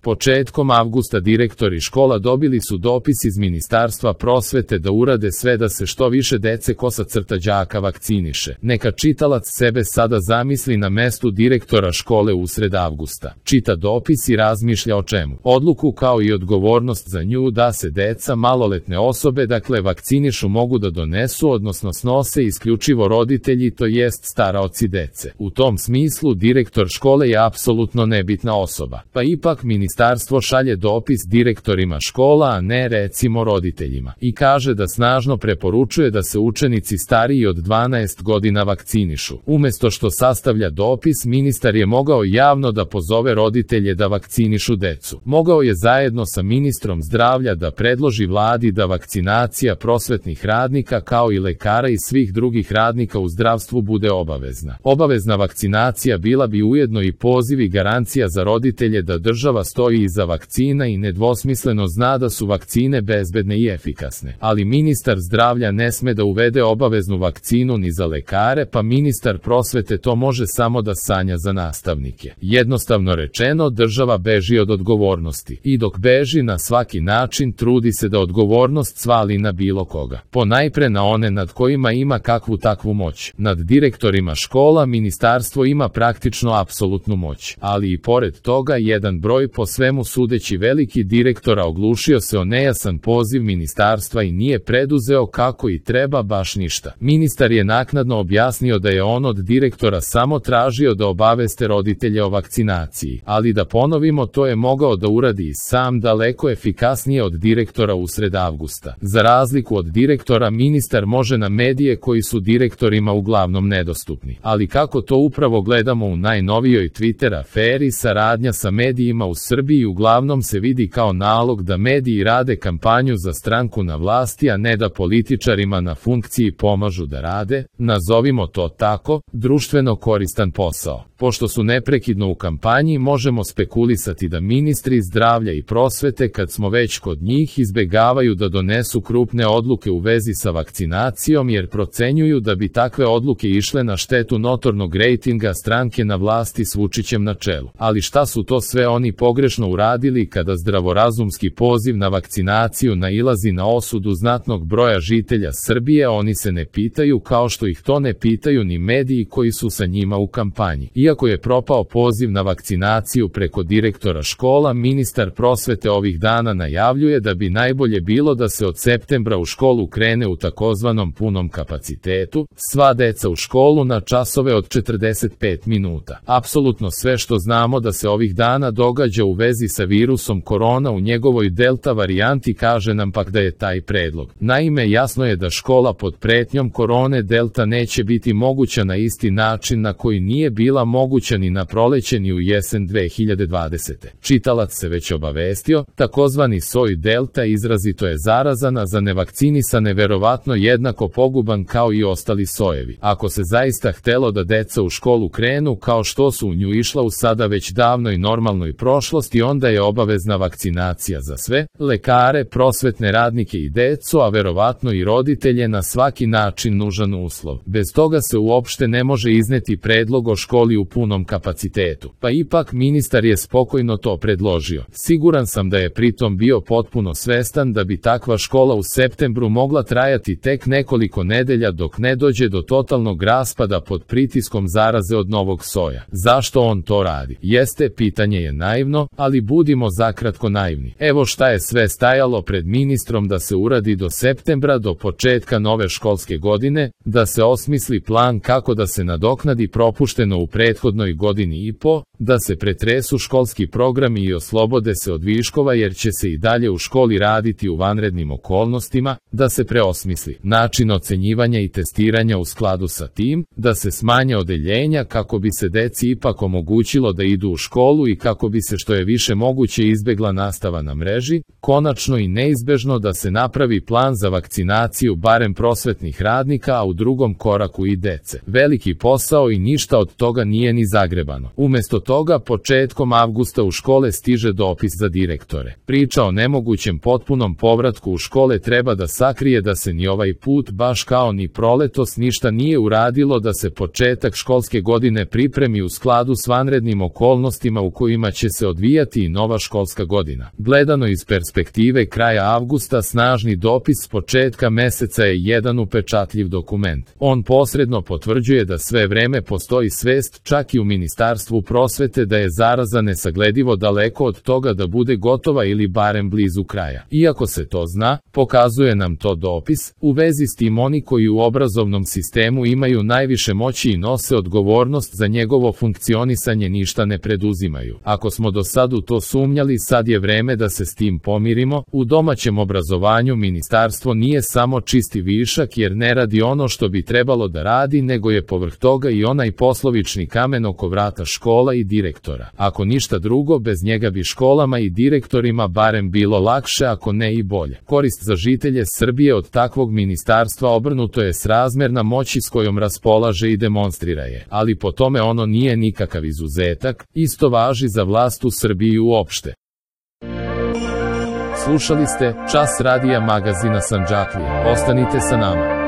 Početkom avgusta direktori škola dobili su dopis iz Ministarstva prosvete da urade sve da se što više dece đaka vakciniše. Neka čitalac sebe sada zamisli na mestu direktora škole usred avgusta. Čita dopis i razmišlja o čemu. Odluku kao i odgovornost za nju da se deca, maloletne osobe, vakcinišu mogu da donesu, odnosno snose isključivo roditelji, to jest staraoci dece. U tom smislu direktor škole je apsolutno nebitna osoba. Pa ipak ministarstvo šalje dopis direktorima škola, a ne recimo roditeljima. I kaže da snažno preporučuje da se učenici stariji od 12 godina vakcinišu. Umesto što sastavlja dopis, ministar je mogao javno da pozove roditelje da vakcinišu decu. Mogao je zajedno sa ministrom zdravlja da predloži vladi da vakcinacija prosvetnih radnika kao i lekara i svih drugih radnika u zdravstvu bude obavezna. Obavezna vakcinacija bila bi ujedno i poziv i garancija za roditelje da država stoji iza vakcina i nedvosmisleno zna da su vakcine bezbedne i efikasne. Ali ministar zdravlja ne sme da uvede obaveznu vakcinu ni za lekare, pa ministar prosvete to može samo da sanja za nastavnike. Jednostavno rečeno, država beži od odgovornosti. I dok beži na svaki način, trudi se da odgovornost svali na bilo koga. Ponajpre na one nad kojima ima kakvu takvu moć. Nad direktorima škola ministarstvo ima praktično apsolutnu moć. Ali i pored toga, jedan broj po svemu sudeći veliki direktora oglušio se o nejasan poziv ministarstva i nije preduzeo kako i treba baš ništa. Ministar je naknadno objasnio da je on od direktora samo tražio da obaveste roditelje o vakcinaciji. Ali da ponovimo, to je mogao da uradi i sam, daleko efikasnije od direktora usred avgusta. Za razliku od direktora, ministar može na medije koji su direktorima uglavnom nedostupni. Ali kako to upravo gledamo u najnovijoj Twitter aferi, saradnja sa medijima u Srbiji uglavnom se vidi kao nalog da mediji rade kampanju za stranku na vlasti, a ne da političarima na funkciji pomažu da rade, nazovimo to tako, društveno koristan posao. Pošto su neprekidno u kampanji, možemo spekulisati da ministri zdravlja i prosvete, kad smo već kod njih, izbegavaju da donesu krupne odluke u vezi sa vakcinacijom jer procenjuju da bi takve odluke išle na štetu notornog rejtinga stranke na vlasti s Vučićem na čelu. Ali šta su to sve oni pogrešno uradili kada zdravorazumski poziv na vakcinaciju nailazi na osudu znatnog broja žitelja Srbije? Oni se ne pitaju, kao što ih to ne pitaju ni mediji koji su sa njima u kampanji. Iako je propao poziv na vakcinaciju preko direktora škola, ministar prosvete ovih dana najavljuje da bi najbolje bilo da se od septembra u školu krene u takozvanom punom kapacitetu, sva deca u školu na časove od 45 minuta. Apsolutno sve što znamo da se ovih dana događa u vezi sa virusom korona u njegovoj delta varijanti kaže nam pak da je taj predlog. Naime, jasno je da škola pod pretnjom korone delta neće biti moguća na isti način na koji nije bila moguća ni na proleće ni u jesen 2020. Čitalac se već obavestio, takozvani soj delta izrazito je zarazan, a za nevakcinisane verovatno jednako poguban kao i ostali sojevi. Ako se zaista htelo da deca u školu krenu kao što su u nju išla u sada već davnoj normalnoj prošlosti, onda je obavezna vakcinacija za sve, lekare, prosvetne radnike i decu, a verovatno i roditelje, na svaki način nužan uslov. Bez toga se uopšte ne može izneti predlog o školi u punom kapacitetu. Pa ipak ministar je spokojno to predložio. Siguran sam da je pritom bio potpuno svestan da bi takva škola u septembru mogla trajati tek nekoliko nedelja dok ne dođe do totalnog raspada pod pritiskom zaraze od novog soja. Zašto on to radi? Jeste, pitanje je naivno, ali budimo zakratko naivni. Evo šta je sve stajalo pred ministrom da se uradi do septembra, do početka nove školske godine, da se osmisli plan kako da se nadoknadi propušteno u prethodnoj godini i po, da se pretresu školski programi i oslobode se od viškova jer će se i dalje u školi raditi u vanrednim okolnostima, da se preosmisli način ocenjivanja i testiranja u skladu sa tim, da se smanje odeljenja kako bi se deci ipak omogućilo da idu u školu i kako bi se što je više moguće izbegla nastava na mreži, konačno i neizbežno da se napravi plan za vakcinaciju barem prosvetnih radnika, a u drugom koraku i dece. Veliki posao i ništa od toga nije ni zagrebano. Umesto toga, početkom avgusta u škole stiže dopis za direktore. Priča o nemogućem potpunom povratku u škole treba da sakrije da se ni ovaj put, baš kao ni proletos, ništa nije uradilo da se početak školske godine pripremi u skladu s vanrednim okolnostima u kojima će se odvijati navijati i nova školska godina. Gledano iz perspektive kraja avgusta, snažni dopis s početka meseca je jedan upečatljiv dokument. On posredno potvrđuje da sve vreme postoji svest, čak i u Ministarstvu prosvete, da je zaraza nesagledivo daleko od toga da bude gotova ili barem blizu kraja. Iako se to zna, pokazuje nam to dopis, u vezi s tim oni koji u obrazovnom sistemu imaju najviše moći i nose odgovornost za njegovo funkcionisanje ništa ne preduzimaju. Ako smo do sad u to sumnjali, sad je vreme da se s tim pomirimo. U domaćem obrazovanju ministarstvo nije samo čisti višak jer ne radi ono što bi trebalo da radi, nego je povrh toga i onaj poslovični kamen oko vrata škola i direktora. Ako ništa drugo, bez njega bi školama i direktorima barem bilo lakše, ako ne i bolje. Korist za žitelje Srbije od takvog ministarstva obrnuto je srazmerna moći s kojom raspolaže i demonstrira je, ali po tome ono nije nikakav izuzetak, isto važi za vlast u Srbiji uopšte. Slušali ste Čas radija magazina Sandžaklija. Ostanite sa nama.